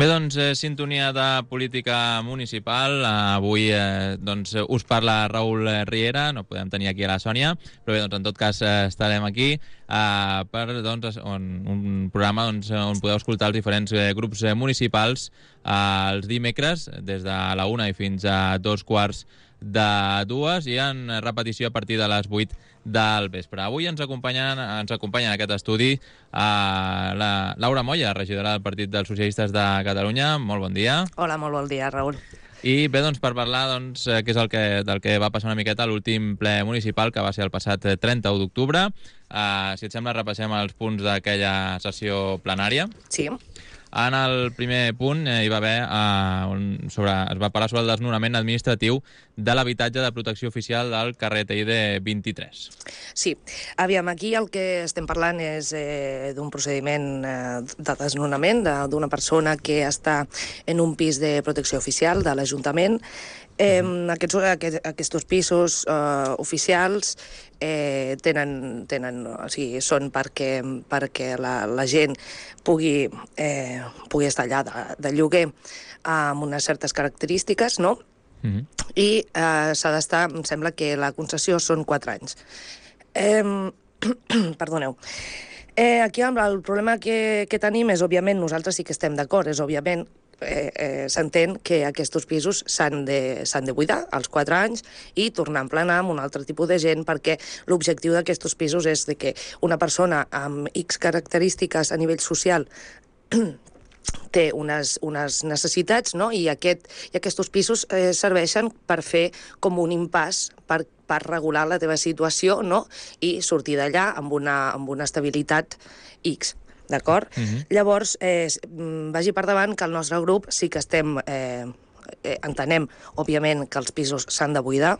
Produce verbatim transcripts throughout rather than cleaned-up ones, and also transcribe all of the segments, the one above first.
Bé, doncs, eh, sintonia de política municipal. Avui eh, doncs, us parla Raül Riera, no podem tenir aquí a la Sònia, però bé, doncs, en tot cas eh, estarem aquí eh, per doncs, on, un programa doncs, on podeu escoltar els diferents eh, grups eh, municipals eh, els dimecres, des de la una i fins a dos quarts de dues, i en repetició a partir de les vuit del vespre. Avui ens acompanyen, ens acompanya en aquest estudi eh, la Laura Moya, regidora del Partit dels Socialistes de Catalunya. Molt bon dia. Hola, molt bon dia, Raül. I bé, doncs, per parlar doncs, què és el que, del que va passar una miqueta a l'últim ple municipal, que va ser el passat trenta d'octubre. Eh, si et sembla, repassem els punts d'aquella sessió plenària. Sí. En el primer punt eh, hi va haver, eh, un, sobre, es va parlar sobre el desnonament administratiu de l'habitatge de protecció oficial del carrer Teide vint-i-tres. Sí. Aviam, aquí el que estem parlant és eh, d'un procediment eh, de desnonament d'una persona que està en un pis de protecció oficial de l'Ajuntament. Eh, aquests, aquests, aquests pisos eh, oficials eh, tenen, tenen, o sigui, són perquè, perquè la, la gent pugui, eh, pugui estar allà de, de lloguer amb unes certes característiques, no? Mm-hmm. I eh, s'ha d'estar, em sembla que la concessió són quatre anys. Eh, perdoneu. Eh, aquí el problema que, que tenim és, òbviament, nosaltres sí que estem d'acord, és, òbviament, Eh, eh, s'entén que aquests pisos s'han de, s'han de buidar als quatre anys i tornar a emplenar amb un altre tipus de gent, perquè l'objectiu d'aquests pisos és de que una persona amb X característiques a nivell social té unes, unes necessitats, no? I, aquest, i aquests pisos eh, serveixen per fer com un impàs per, per regular la teva situació, no? I sortir d'allà amb una, amb una estabilitat X. D'acord? Uh-huh. Llavors, eh, vagi per davant que el nostre grup sí que estem, eh, eh, entenem, òbviament, que els pisos s'han de buidar.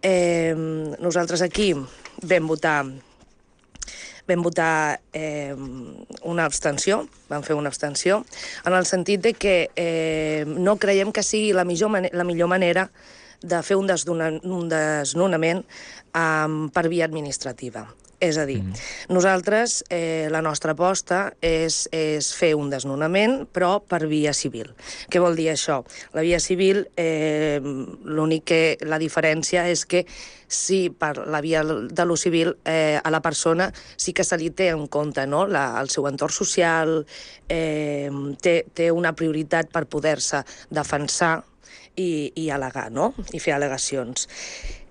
Eh, nosaltres aquí vam votar, vam votar eh, una abstenció, vam fer una abstenció, en el sentit de que eh, no creiem que sigui la millor, man- la millor manera de fer un, desdona- un desnonament um, per via administrativa. És a dir, mm. nosaltres, eh, la nostra aposta és, és fer un desnonament, però per via civil. Què vol dir això? La via civil, eh, l'únic que, la diferència és que si per la via de lo civil eh, a la persona sí que se li té en compte, no? la, el seu entorn social, eh, té, té una prioritat per poder-se defensar i, i al·legar, no? I fer al·legacions.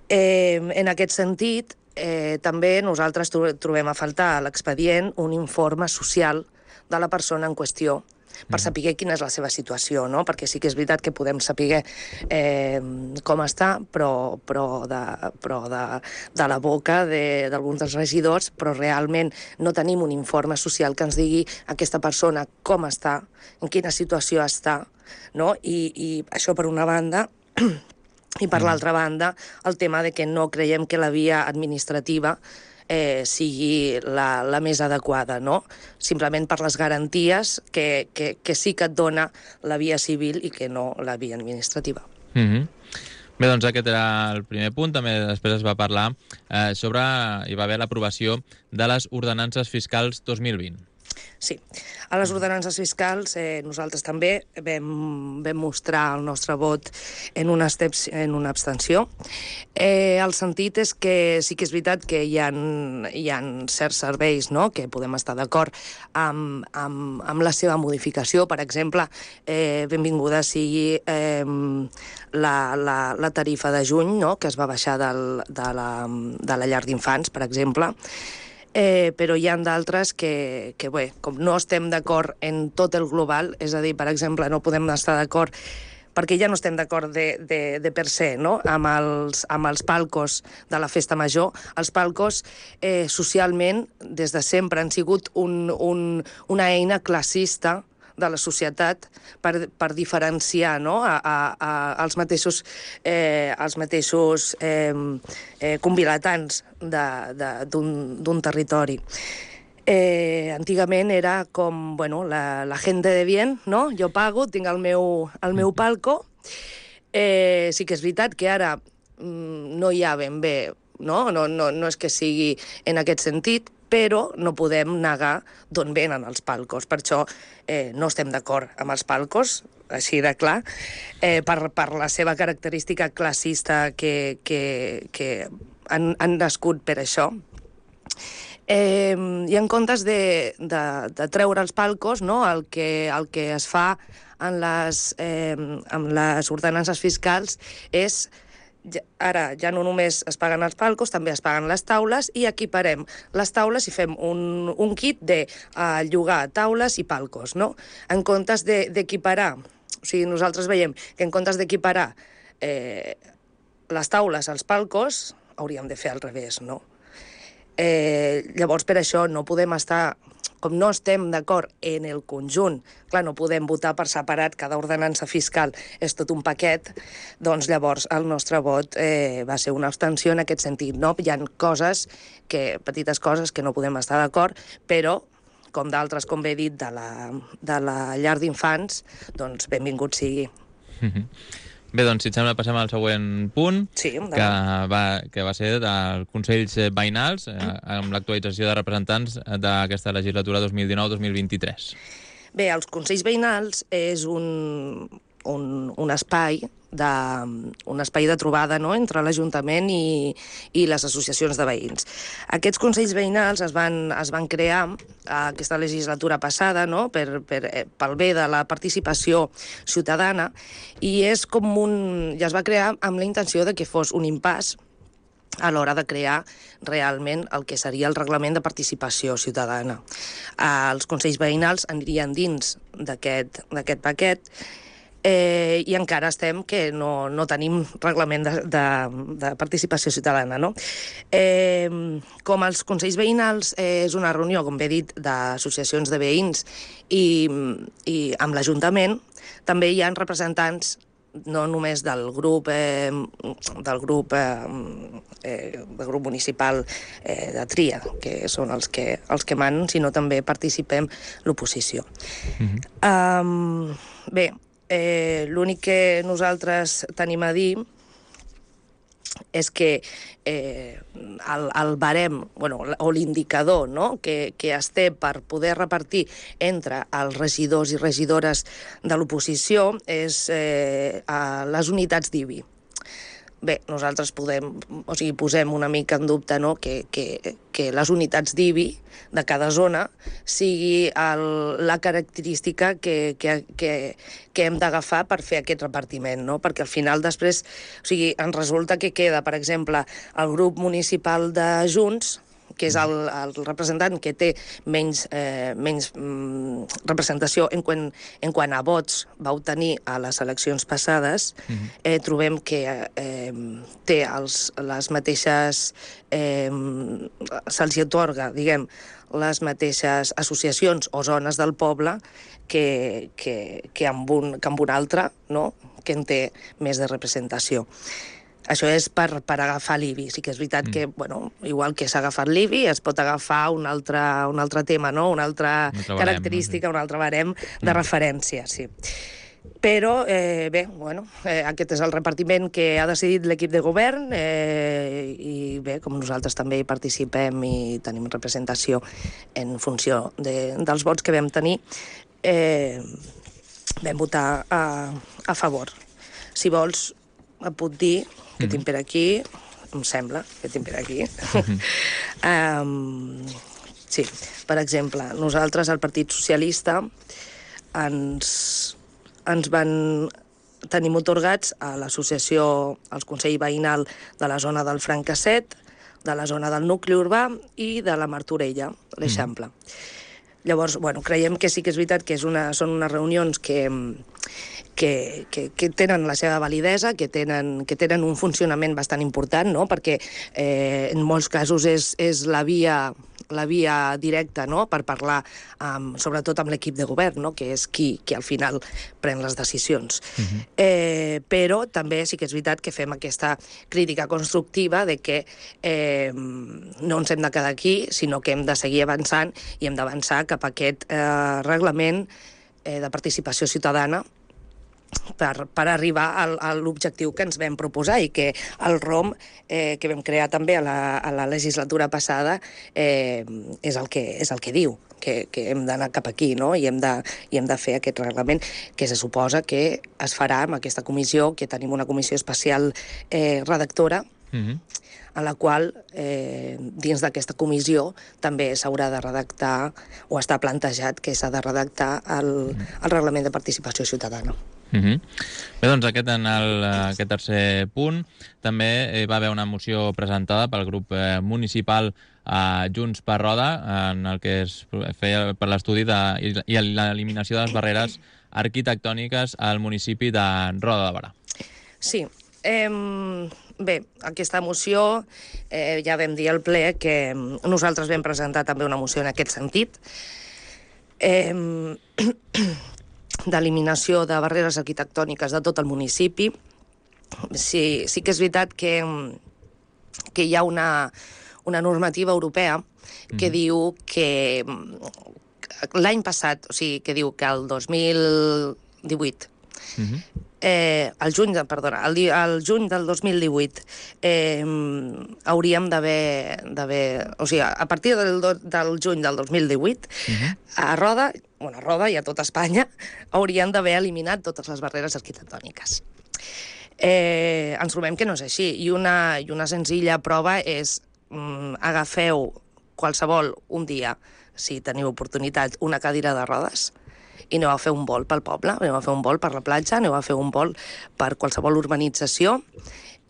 Eh, en aquest sentit, Eh, també nosaltres trobem a faltar a l'expedient un informe social de la persona en qüestió per saber quina és la seva situació, no? Perquè sí que és veritat que podem saber eh, com està, però, però, de, però de, de la boca d'alguns de, dels regidors, però realment no tenim un informe social que ens digui aquesta persona com està, en quina situació està, no? I, i això per una banda. I per mm. l'altra banda, el tema de que no creiem que la via administrativa eh, sigui la, la més adequada, no? Simplement per les garanties que, que, que sí que et dona la via civil i que no la via administrativa. Mm-hmm. Bé, doncs aquest era el primer punt. També després es va parlar eh, sobre... hi va haver l'aprovació de les ordenances fiscals dos mil vint. Sí. A les ordenances fiscals eh, nosaltres també vam, vam mostrar el nostre vot en una, steps, en una abstenció. Eh, el sentit és que sí que és veritat que hi ha, hi ha certs serveis, no?, que podem estar d'acord amb, amb, amb la seva modificació. Per exemple, eh, benvinguda sigui eh, la, la, la tarifa de juny, no?, que es va baixar del, de, la, de la llar d'infants, per exemple. Eh, però hi ha d'altres que, que, bé, com no estem d'acord en tot el global, és a dir, per exemple, no podem estar d'acord perquè ja no estem d'acord de, de, de per se, no?, amb els, amb els palcos de la festa major. Els palcos, eh, socialment, des de sempre han sigut un, un, una eina classista de la societat per, per diferenciar, no?, a, a, a, als mateixos, eh, als mateixos eh, eh, convilatants d'un territori. Eh, antigament era com, bueno, la, la gente de bien, no? Jo pago, tinc el meu, el meu palco. Eh, sí que és veritat que ara mm, no hi ha ben bé no? No, no, no és que sigui en aquest sentit, però no podem negar d'on venen els palcos. Per això eh, no estem d'acord amb els palcos, així de clar, eh, per, per la seva característica classista que, que, que han, han nascut per això. Eh, I en comptes de, de, de treure els palcos, no, el, que, el que es fa en les, eh, en les ordenances fiscals és, ara ja no només es paguen els palcos, també es paguen les taules, i equiparem les taules i fem un, un kit de uh, llogar taules i palcos, no? En comptes d'equiparar, o sigui, nosaltres veiem que en comptes d'equiparar eh, les taules als palcos, hauríem de fer al revés, no? Eh, llavors, per això no podem estar, com no estem d'acord en el conjunt, clar, no podem votar per separat, cada ordenança fiscal és tot un paquet, doncs llavors el nostre vot eh, va ser una abstenció en aquest sentit, no? Hi ha coses, que, petites coses que no podem estar d'acord, però com d'altres, com bé he dit, de la, de la llar d'infants, doncs benvingut sigui. Mm-hmm. Bé, doncs, si et sembla, passem al següent punt, sí, que, va, que va ser dels Consells Veïnals, eh, amb l'actualització de representants d'aquesta legislatura dos mil dinou dos mil vint-i-tres. Bé, els Consells Veïnals és un, un, un espai de, un espai de trobada, no?, entre l'Ajuntament i, i les associacions de veïns. Aquests Consells Veïnals es van, es van crear aquesta legislatura passada, no?, per, per, pel bé de la participació ciutadana, i és com un, ja es va crear amb la intenció de que fos un impàs a l'hora de crear realment el que seria el reglament de participació ciutadana. Els Consells Veïnals anirien dins d'aquest d'aquest paquet, Eh, i encara estem que no, no tenim reglament de, de, de participació ciutadana, no? Eh, com els Consells Veïnals eh, és una reunió, com bé dit, d'associacions de veïns i, i amb l'Ajuntament, també hi ha representants no només del grup eh, del grup eh, eh, del grup municipal eh, de tria, que són els que, els que manen, sinó també participem l'oposició. Mm-hmm. um, bé, Eh, l'únic que nosaltres tenim a dir és que eh, el, el barem, bueno, o l'indicador, no?, que, que es té per poder repartir entre els regidors i regidores de l'oposició és eh, a les unitats d'I B I. Bé, nosaltres podem, o sigui, posem una mica en dubte, no?, que, que, que les unitats d'I B I de cada zona sigui el, la característica que, que, que, que hem d'agafar per fer aquest repartiment, no? Perquè al final després, o sigui, ens resulta que queda, per exemple, el grup municipal de Junts, que és el, el representant que té menys, eh, menys mm, representació en quant, en quant a vots va obtenir a les eleccions passades, mm-hmm. eh, trobem que eh, té els, les mateixes... Eh, se'ls atorga, diguem, les mateixes associacions o zones del poble que, que, que, amb, un, que amb un altre, no?, que en té més de representació. Això és per, per agafar l'I B I. Sí que és veritat mm. que, bueno, igual que s'ha agafat l'I B I, es pot agafar un altre, un altre tema, no?, una altra un característica, barem, no? un altre barem de mm. referència, sí. Però, eh, bé, bueno, eh, aquest és el repartiment que ha decidit l'equip de govern eh, i bé, com nosaltres també hi participem i tenim representació en funció de, dels vots que vam tenir, eh, vam votar a, a favor. Si vols, et puc dir que tinc per aquí, em sembla que tinc per aquí. um, sí, per exemple, nosaltres, el Partit Socialista, ens, ens van tenim otorgats a l'associació, al Consell Veïnal de la zona del Francasset, de la zona del nucli urbà i de la Martorella, l'Eixample. Mm. Llavors, bueno, creiem que sí que és veritat que és una, són unes reunions que... Que, que, que tenen la seva validesa, que tenen, que tenen un funcionament bastant important, no?, perquè eh, en molts casos és, és la via, la via directa, no?, per parlar amb, sobretot amb l'equip de govern, no?, que és qui, qui al final pren les decisions. Uh-huh. eh, però també sí que és veritat que fem aquesta crítica constructiva de que eh, no ens hem de quedar aquí, sinó que hem de seguir avançant i hem d'avançar cap a aquest eh, reglament eh, de participació ciutadana per, per arribar al, a l'objectiu que ens vam proposar i que el R O M, eh, que vam crear també a la, a la legislatura passada, eh, és, el que, és el que diu, que, que hem d'anar cap aquí, no? I hem de, i hem de fer aquest reglament, que se suposa que es farà amb aquesta comissió, que tenim una comissió especial eh, redactora, mm-hmm. en la qual, eh, dins d'aquesta comissió, també s'haurà de redactar, o està plantejat que s'ha de redactar el, el reglament de participació ciutadana. Uh-huh. Bé, doncs aquest en el, aquest tercer punt també hi va haver una moció presentada pel grup eh, municipal eh, Junts per Roda, en el que es feia per l'estudi de, i l'eliminació de les barreres arquitectòniques al municipi de Roda de Berà. Sí, eh, bé, aquesta moció eh, ja vam dir al ple que nosaltres vam presentar també una moció en aquest sentit. Eh, d'eliminació de barreres arquitectòniques de tot el municipi. Sí, sí que és veritat que, que hi ha una, una normativa europea que mm. diu que l'any passat, o sigui, que diu que el dos mil divuit, mm-hmm. eh, el juny, de, perdona, el, el juny del dos mil divuit eh, hauríem d'haver, o sigui, a partir del, del juny del dos mil divuit, mm-hmm. a Roda, bueno, a Roda i a tota Espanya, haurien d'haver eliminat totes les barreres arquitectòniques. Eh, ens trobem que no és així, i una, i una senzilla prova és mm, agafeu qualsevol un dia, si teniu oportunitat, una cadira de rodes, i aneu a fer un vol pel poble, aneu a fer un vol per la platja, aneu a fer un vol per qualsevol urbanització,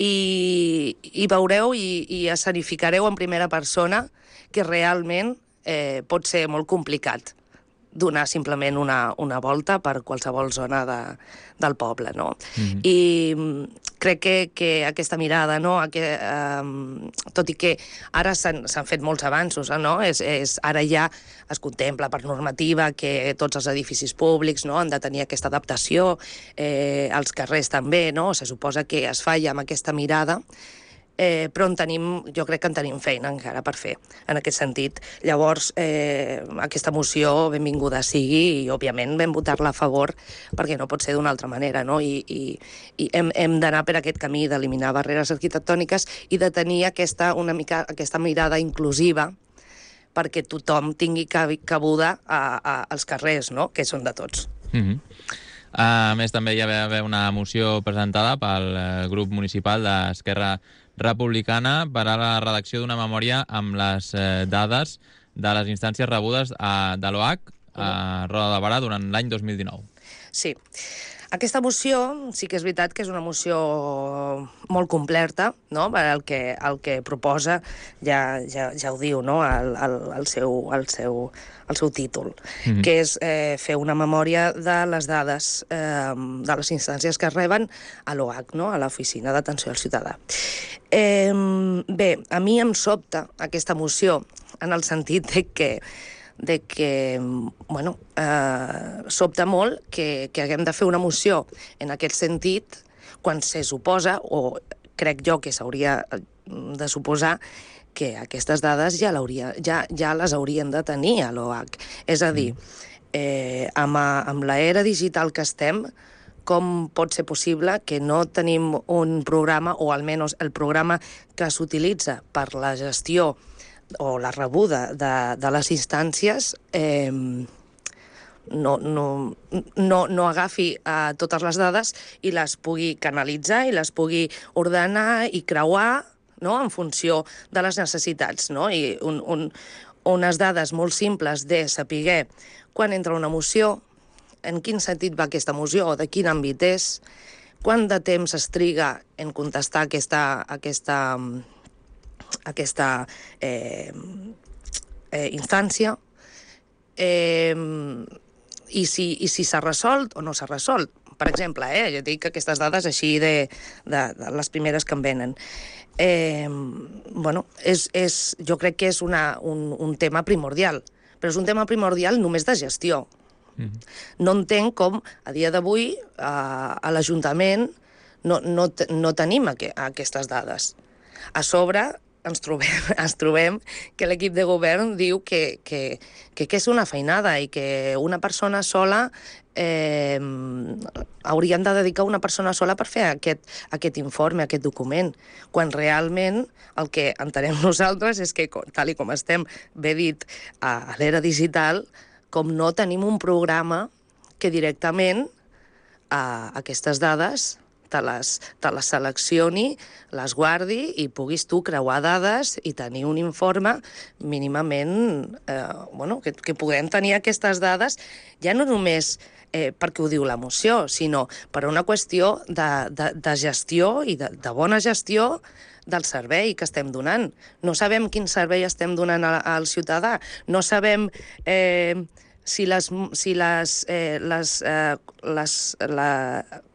i, i veureu i, i escenificareu en primera persona que realment eh, pot ser molt complicat donar simplement una, una volta per qualsevol zona de, del poble, no? Mm-hmm. I crec que, que aquesta mirada, no? Que, um, tot i que ara s'han fet molts avanços, no? És, és, ara ja es contempla per normativa que tots els edificis públics, no? Han de tenir aquesta adaptació, eh, els carrers també, no? Se suposa que es falla amb aquesta mirada, Eh, però en tenim, jo crec que en tenim feina encara per fer, en aquest sentit. Llavors, eh, aquesta moció benvinguda sigui i, òbviament, vam votar-la a favor perquè no pot ser d'una altra manera, no? I, i, i hem, hem d'anar per aquest camí d'eliminar barreres arquitectòniques i de tenir aquesta, una mica, aquesta mirada inclusiva perquè tothom tingui cabuda a, a, als carrers, no? Que són de tots. Mm-hmm. A més, també hi va haver una moció presentada pel grup municipal d'Esquerra Republicana per a la redacció d'una memòria amb les eh, dades de les instàncies rebudes a, de l'O H a Roda de Berà durant l'any dos mil dinou. Sí. Aquesta moció sí que és veritat que és una moció molt completa, no? El que, el que proposa ja, ja, ja ho diu, no? el, el, el, seu, el, seu, el seu títol, mm-hmm. que és eh, fer una memòria de les dades eh, de les instàncies que es reben a l'O H, no? A l'Oficina d'Atenció al Ciutadà. Eh, bé, a mi em sobta aquesta moció en el sentit de que de que, bueno, eh, sobta molt que, que haguem de fer una moció en aquest sentit quan se suposa, o crec jo que s'hauria de suposar, que aquestes dades ja, ja, ja les haurien de tenir a l'O H. És a dir, eh, amb, amb l'era digital que estem, com pot ser possible que no tenim un programa, o almenys el programa que s'utilitza per la gestió o la rebuda de, de les instàncies eh, no, no, no, no agafi eh, totes les dades i les pugui canalitzar i les pugui ordenar i creuar, no?, en funció de les necessitats, no? I un, un, unes dades molt simples de saber quan entra una moció, en quin sentit va aquesta moció o de quin àmbit és, quant de temps es triga en contestar aquesta, aquesta aquesta eh, eh, instància eh, i si, i si s'ha resolt o no s'ha resolt. Per exemple, eh, jo dic aquestes dades així de, de, de les primeres que em venen. Eh, bueno, és, és, jo crec que és una, un, un tema primordial, però és un tema primordial només de gestió. Mm-hmm. No entenc com a dia d'avui a, a l'Ajuntament no, no, no tenim aqu aquestes dades. A sobre, ens trobem, ens trobem que l'equip de govern diu que, que, que, que és una feinada i que una persona sola eh, haurien de dedicar una persona sola per fer aquest, aquest informe, aquest document, quan realment el que entenem nosaltres és que, tal i com estem bé dit a l'era digital, com no tenim un programa que directament a aquestes dades te les, te les seleccioni, les guardi i puguis tu creuar dades i tenir un informe mínimament, eh, bueno, que, que puguem tenir aquestes dades, ja no només eh, perquè ho diu la moció, sinó per una qüestió de, de, de gestió i de, de bona gestió del servei que estem donant. No sabem quin servei estem donant al, al ciutadà, no sabem eh, si les, si les, eh, les, eh, les la,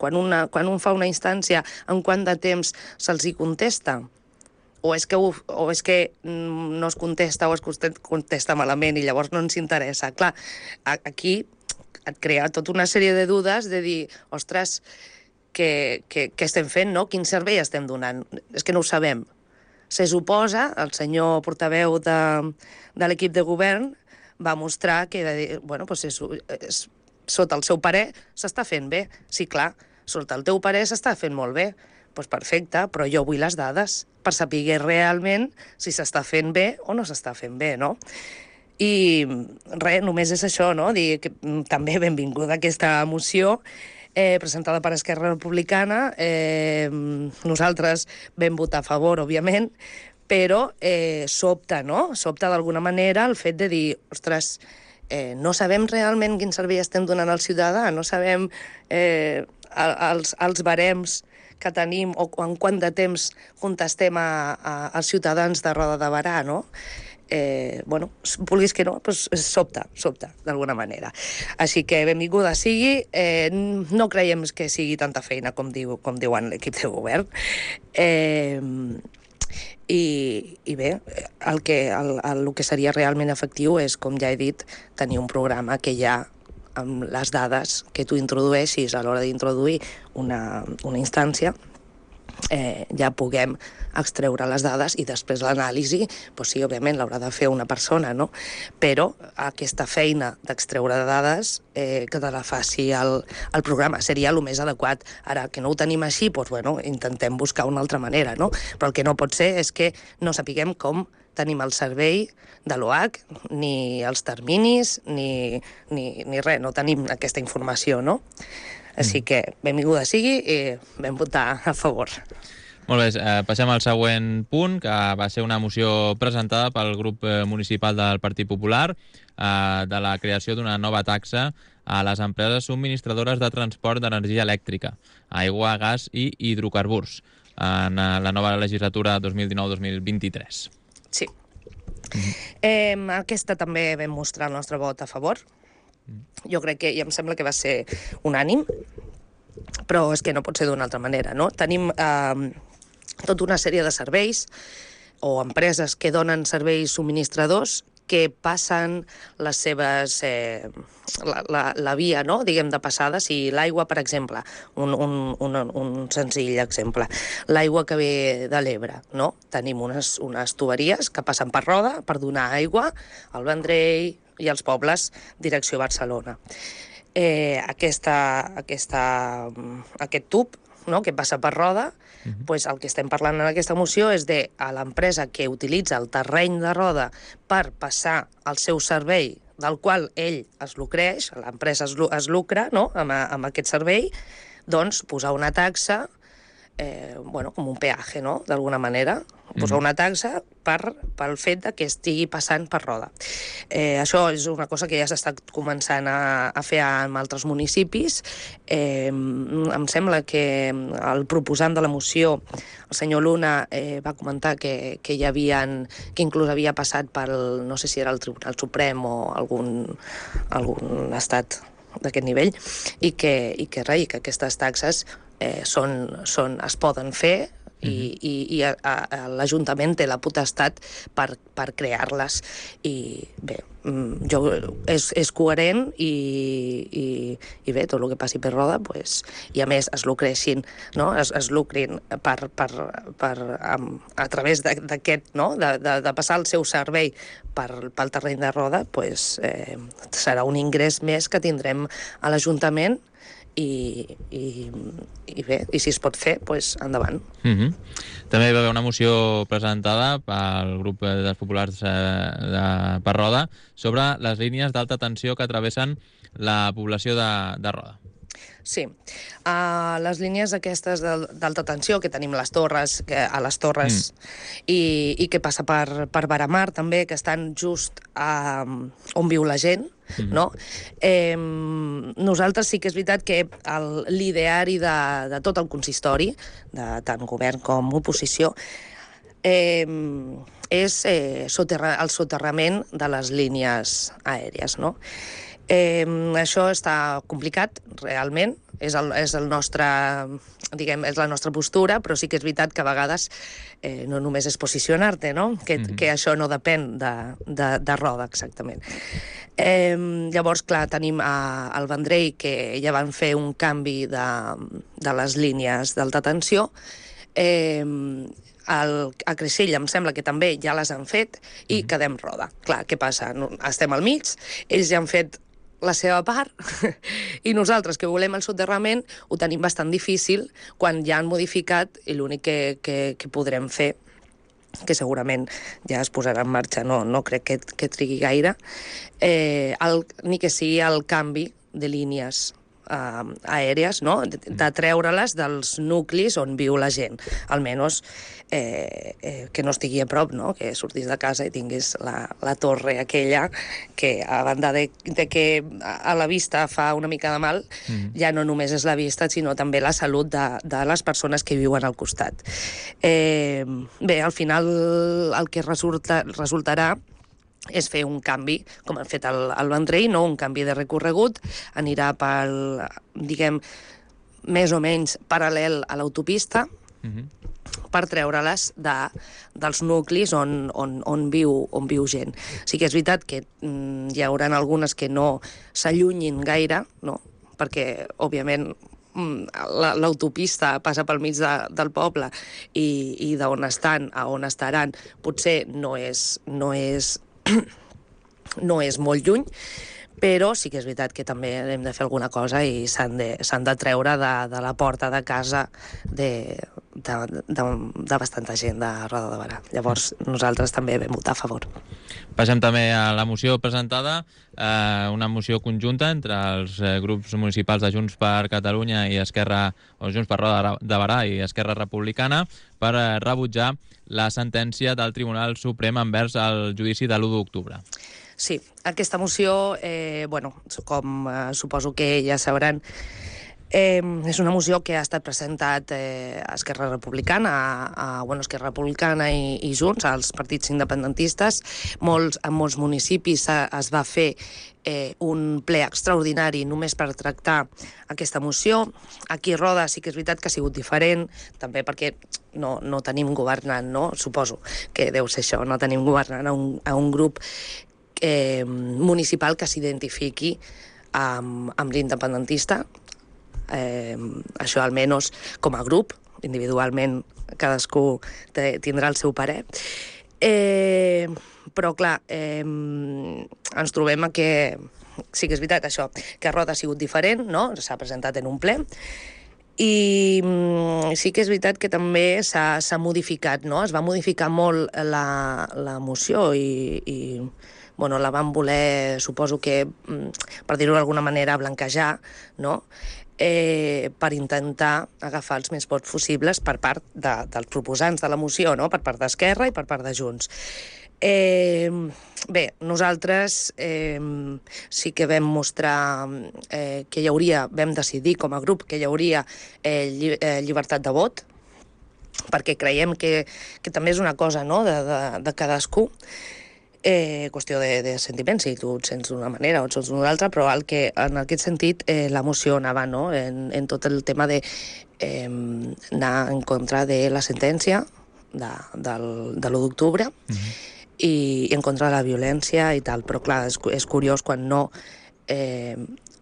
quan, una, quan un fa una instància, en quant de temps se'ls hi contesta, o és, que, o és que no es contesta o es contesta malament i llavors no ens interessa. Clar, aquí et crea tota una sèrie de dudes de dir, ostres, què, què, què estem fent, no? Quin servei estem donant? És que no ho sabem. Se suposa, el senyor portaveu de, de l'equip de govern va mostrar que, bueno, doncs és, és, sota el seu parer s'està fent bé. Sí, clar, sota el teu parer s'està fent molt bé. Doncs perfecte, però jo vull les dades per saber realment si s'està fent bé o no s'està fent bé, no? I res, només és això, no? Dir que també benvinguda aquesta moció eh, presentada per Esquerra Republicana. Eh, nosaltres vam votar a favor, òbviament, però eh, sobta, no? Sobta d'alguna manera el fet de dir, ostres, eh, no sabem realment quin servei estem donant al ciutadà, no sabem eh, els, els barems que tenim o en quant de temps contestem a, a, als ciutadans de Roda de Berà, no? Eh, bueno, vulguis que no, doncs sobta, sobta, d'alguna manera. Així que benvinguda sigui, eh, no creiem que sigui tanta feina com, diu, com diuen l'equip de govern. Eh, i, i bé, el que, el, el, el que seria realment efectiu és, com ja he dit, tenir un programa que ja amb les dades que tu introdueixis a l'hora d'introduir una, una instància, eh, ja puguem extreure les dades i després l'anàlisi, doncs sí, òbviament l'haurà de fer una persona, no? Però aquesta feina d'extreure dades eh, que te la faci el, el programa seria el més adequat. Ara, que no ho tenim així, doncs bueno, intentem buscar una altra manera, no? Però el que no pot ser és que no sapiguem com tenim el servei de l'O H, ni els terminis, ni, ni, ni res, no tenim aquesta informació, no? Així que benvinguda sigui i vam votar a favor. Molt bé, eh, passem al següent punt, que va ser una moció presentada pel grup municipal del Partit Popular eh, de la creació d'una nova taxa a les empreses subministradores de transport d'energia elèctrica, aigua, gas i hidrocarburs, en la nova legislatura dos mil dinou dos mil vint-i-tres. Sí. Mm-hmm. Eh, aquesta també vam mostrar el nostre vot a favor. Jo crec que, i em sembla que va ser unànim, però és que no pot ser d'una altra manera, no? Tenim eh, tota una sèrie de serveis o empreses que donen serveis subministradors que passen les seves... Eh, la, la, la via, no?, diguem, de passada. Si l'aigua, per exemple, un, un, un, un senzill exemple, l'aigua que ve de l'Ebre, no? Tenim unes, unes tuberies que passen per Roda per donar aigua al Vendrell i als pobles direcció Barcelona. Eh, aquesta, aquesta, aquest tub, no?, que passa per Roda, uh-huh. pues el que estem parlant en aquesta moció és de a l'empresa que utilitza el terreny de Roda per passar el seu servei, del qual ell es lucreix, l'empresa es, es lucra, no?, amb, amb aquest servei, doncs posar una taxa, eh, bueno, com un peatge, no?, d'alguna manera, posar una taxa per, pel fet de que estigui passant per Roda. Eh, això és una cosa que ja s'està començant a, a fer en altres municipis. Eh, em sembla que el proposant de la moció, el senyor Luna, eh, va comentar que, que hi havien, que inclús havia passat pel, no sé si era el Tribunal Suprem o algun, algun estat d'aquest nivell, i que, i que, res, que aquestes taxes eh, són, són, es poden fer i, mm-hmm. i, i a, a, l'Ajuntament té la potestat per, per crear-les. I bé, jo, és, és coherent i, i, i bé, tot el que passi per Roda, pues, i a més es lucreixin, no? es, es lucrin per, per, per, amb, a través d'aquest, no? de, de, de passar el seu servei per, pel terreny de Roda, pues, eh, serà un ingrés més que tindrem a l'Ajuntament. I, i, i bé, i si es pot fer, doncs endavant. Mm-hmm. També hi va haver una moció presentada pel grup dels populars eh, de, per Roda sobre les línies d'alta tensió que travessen la població de, de Roda. Sí. Uh, les línies aquestes d'alta tensió, que tenim les torres, que, a les torres, mm. i, i que passa per, per Baramar, també, que estan just a, on viu la gent, mm-hmm. no? Eh, nosaltres sí que és veritat que l'ideari de, de tot el consistori, de tant govern com oposició, eh, és eh, soterra, el soterrament de les línies aèries, no? Eh, això està complicat, realment, és, el, és, el nostre, diguem, és la nostra postura, però sí que és veritat que a vegades eh, no només és posicionar-te, no? Que, mm-hmm. que això no depèn de, de, de Roda, exactament. Eh, llavors, clar, tenim a, al Vendrell, que ja van fer un canvi de, de les línies d'alta tensió. Eh, el, a Creixell em sembla que també ja les han fet i mm-hmm. quedem Roda. Clar, què passa? Estem al mig, ells ja han fet la seva part i nosaltres que volem el soterrament ho tenim bastant difícil quan ja han modificat i l'únic que, que, que podrem fer, que segurament ja es posarà en marxa, no, no crec que, que trigui gaire, eh, el, ni que sigui el canvi de línies Uh, aèries, no? de, de treure-les dels nuclis on viu la gent, almenys eh, eh, que no estigui a prop, no? Que sortís de casa i tinguis la, la torre aquella que, a banda de, de que a la vista fa una mica de mal, mm. ja no només és la vista, sinó també la salut de, de les persones que viuen al costat. Eh, bé, al final el que resulta, resultarà és fer un canvi, com han fet al, al Vendrell, no? Un canvi de recorregut, anirà pel, diguem, més o menys paral·lel a l'autopista, mm-hmm. per treure-les de, dels nuclis on, on, on, viu, on viu gent. Sí que és veritat que mm, hi haurà algunes que no s'allunyin gaire, no? Perquè, òbviament, l'autopista passa pel mig de, del poble i, i d'on estan a on estaran potser no és, no és no és molt lluny, però sí que és veritat que també hem de fer alguna cosa i s'han de, s'han de treure de, de la porta de casa de, de, de, de bastanta gent de Roda de Berà. Llavors nosaltres també vam votar a favor. Passem també a la moció presentada, eh, una moció conjunta entre els eh, grups municipals de Junts per Catalunya i Esquerra, o Junts per Roda de Berà i Esquerra Republicana, per eh, rebutjar la sentència del Tribunal Suprem envers el judici de l'u d'octubre. Sí, aquesta moció, eh, bueno, com eh, suposo que ja sabran, eh, és una moció que ha estat presentat eh, a Esquerra Republicana, a, a bueno, Esquerra Republicana i, i Junts, als partits independentistes. Molts, en molts municipis a, es va fer eh, un ple extraordinari només per tractar aquesta moció. Aquí a Roda sí que és veritat que ha sigut diferent, també perquè no, no tenim governant, no? Suposo que deu ser això, no tenim governant a un, a un grup eh, municipal que s'identifiqui amb, amb l'independentista. Eh, això almenys com a grup, individualment cadascú te, tindrà el seu parer. Eh, però clar, eh, ens trobem a que sí que és veritat això, que Roda ha sigut diferent, no? S'ha presentat en un ple, i sí que és veritat que també s'ha, s'ha modificat, no? Es va modificar molt la, la moció i, i bueno, la van voler, suposo que, per dir-ho d'alguna manera, blanquejar, no? Eh, per intentar agafar els més vots possibles per part de, dels proposants de la moció, no? Per part d'Esquerra i per part de Junts. Eh, bé, nosaltres eh, sí que vam mostrar eh, que hi hauria, vam decidir com a grup que hi hauria eh, lli, eh, llibertat de vot, perquè creiem que, que també és una cosa, no? de, de, de cadascú. Eh, qüestió de, de sentiments, si tu et sents d'una manera o et sents d'una altra, però el que, en aquest sentit eh, l'emoció anava, no?, en, en tot el tema de eh, anar en contra de la sentència de, del, de l'u d'octubre mm-hmm. i, i en contra de la violència i tal, però clar, és, és curiós quan no eh,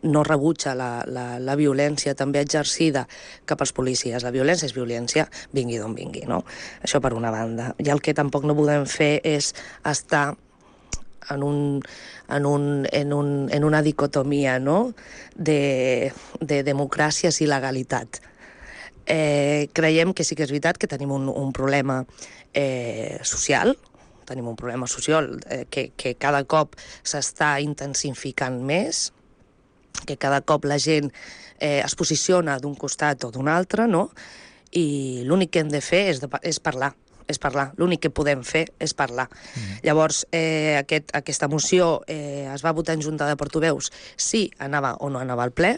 no rebutja la, la, la violència també exercida cap als policies. La violència és violència, vingui d'on vingui, no? Això per una banda. I el que tampoc no podem fer és estar en, un, en, un, en, un, en una dicotomia, no?, de, de democràcies i legalitat. Eh, creiem que sí que és veritat que tenim un, un problema eh, social, tenim un problema social eh, que, que cada cop s'està intensificant més, que cada cop la gent eh, es posiciona d'un costat o d'un altre, no? I l'únic que hem de fer és, de, és parlar, és parlar. L'únic que podem fer és parlar. Mm. Llavors, eh, aquest, aquesta moció eh, es va votar en junta de portaveus si anava o no anava al ple.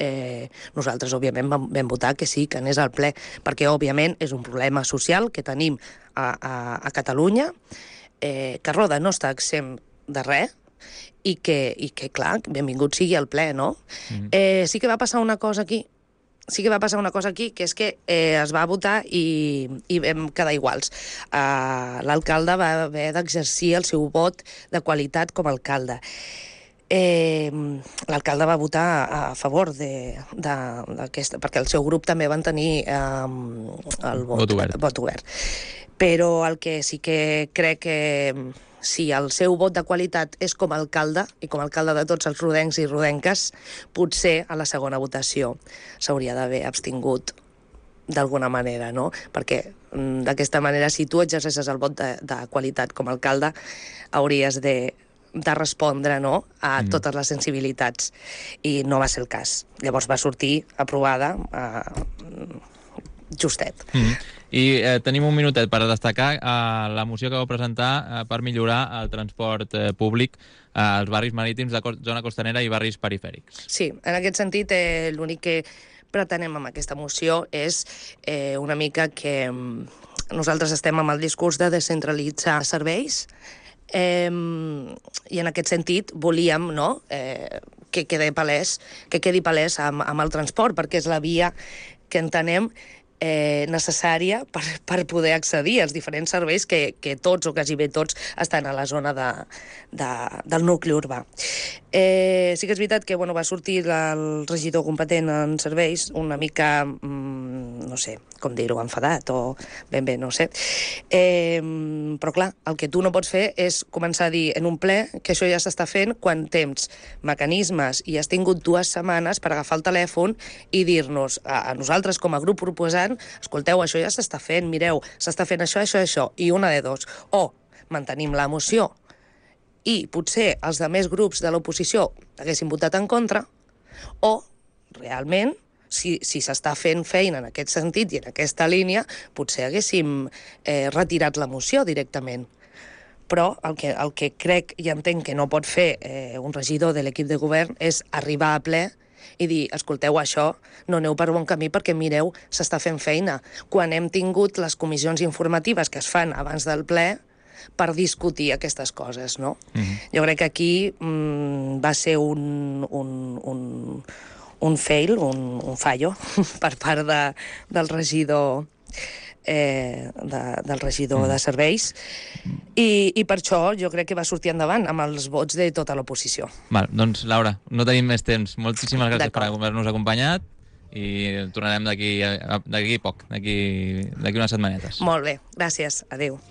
Eh, nosaltres, òbviament, vam, vam votar que sí, que anés al ple, perquè, òbviament, és un problema social que tenim a, a, a Catalunya, eh, que Roda no està exempt de res, i que, i que, clar, benvingut sigui al ple, no? Mm. Eh, sí que va passar una cosa aquí, sí que va passar una cosa aquí, que és que eh, es va votar i, i vam quedar iguals. Uh, L'alcalde va haver d'exercir el seu vot de qualitat com a alcalde. Eh, L'alcalde va votar a favor d'aquesta, perquè el seu grup també van tenir eh, el vot, vot, obert. vot obert. Però el que sí que crec que si el seu vot de qualitat és com a alcalde, i com a alcalde de tots els rodencs i rodenques, potser a la segona votació s'hauria d'haver abstingut d'alguna manera, no? Perquè d'aquesta manera, si tu exercesses el vot de, de qualitat com a alcalde, hauries de, de respondre, no?, a mm. totes les sensibilitats. I no va ser el cas. Llavors va sortir aprovada eh, justet. Mm. I eh, tenim un minutet per destacar eh, la moció que vau presentar eh, per millorar el transport eh, públic eh, als barris marítims de co zona costanera i barris perifèrics. Sí, en aquest sentit, eh, l'únic que pretenem amb aquesta moció és eh, una mica que nosaltres estem amb el discurs de descentralitzar serveis, eh, i en aquest sentit volíem, no?, eh, que quedi palès, que quedi palès amb, amb el transport, perquè és la via que entenem Eh, necessària per, per poder accedir als diferents serveis que, que tots o quasi bé tots estan a la zona de, de, del nucli urbà. Eh, sí que és veritat que bueno, va sortir el regidor competent en serveis una mica, mm, no sé, com dir-ho, enfadat o ben bé, no sé. Eh, però clar, el que tu no pots fer és començar a dir en un ple que això ja s'està fent quan tens mecanismes i has tingut dues setmanes per agafar el telèfon i dir-nos a, a nosaltres com a grup proposant: escolteu, això ja s'està fent, mireu, s'està fent això, això, això, i una de dos. O mantenim la moció i potser els altres grups de l'oposició haguessin votat en contra, o realment, si si s'està fent feina en aquest sentit i en aquesta línia, potser haguéssim eh, retirat la moció directament. Però el que, el que crec i entenc que no pot fer eh, un regidor de l'equip de govern és arribar a ple i dir: escolteu, això no aneu per bon camí perquè, mireu, s'està fent feina. Quan hem tingut les comissions informatives que es fan abans del ple per discutir aquestes coses, no? Mm-hmm. Jo crec que aquí mm, va ser un, un, un, un fail, un, un fallo per part de, del regidor eh, de, del regidor mm. de serveis, i, i per això jo crec que va sortir endavant amb els vots de tota l'oposició. Val, doncs Laura, no tenim més temps. Moltíssimes gràcies per haver-nos acompanyat i tornarem d'aquí d'aquí poc, d'aquí unes setmanetes. Molt bé, gràcies. Adéu.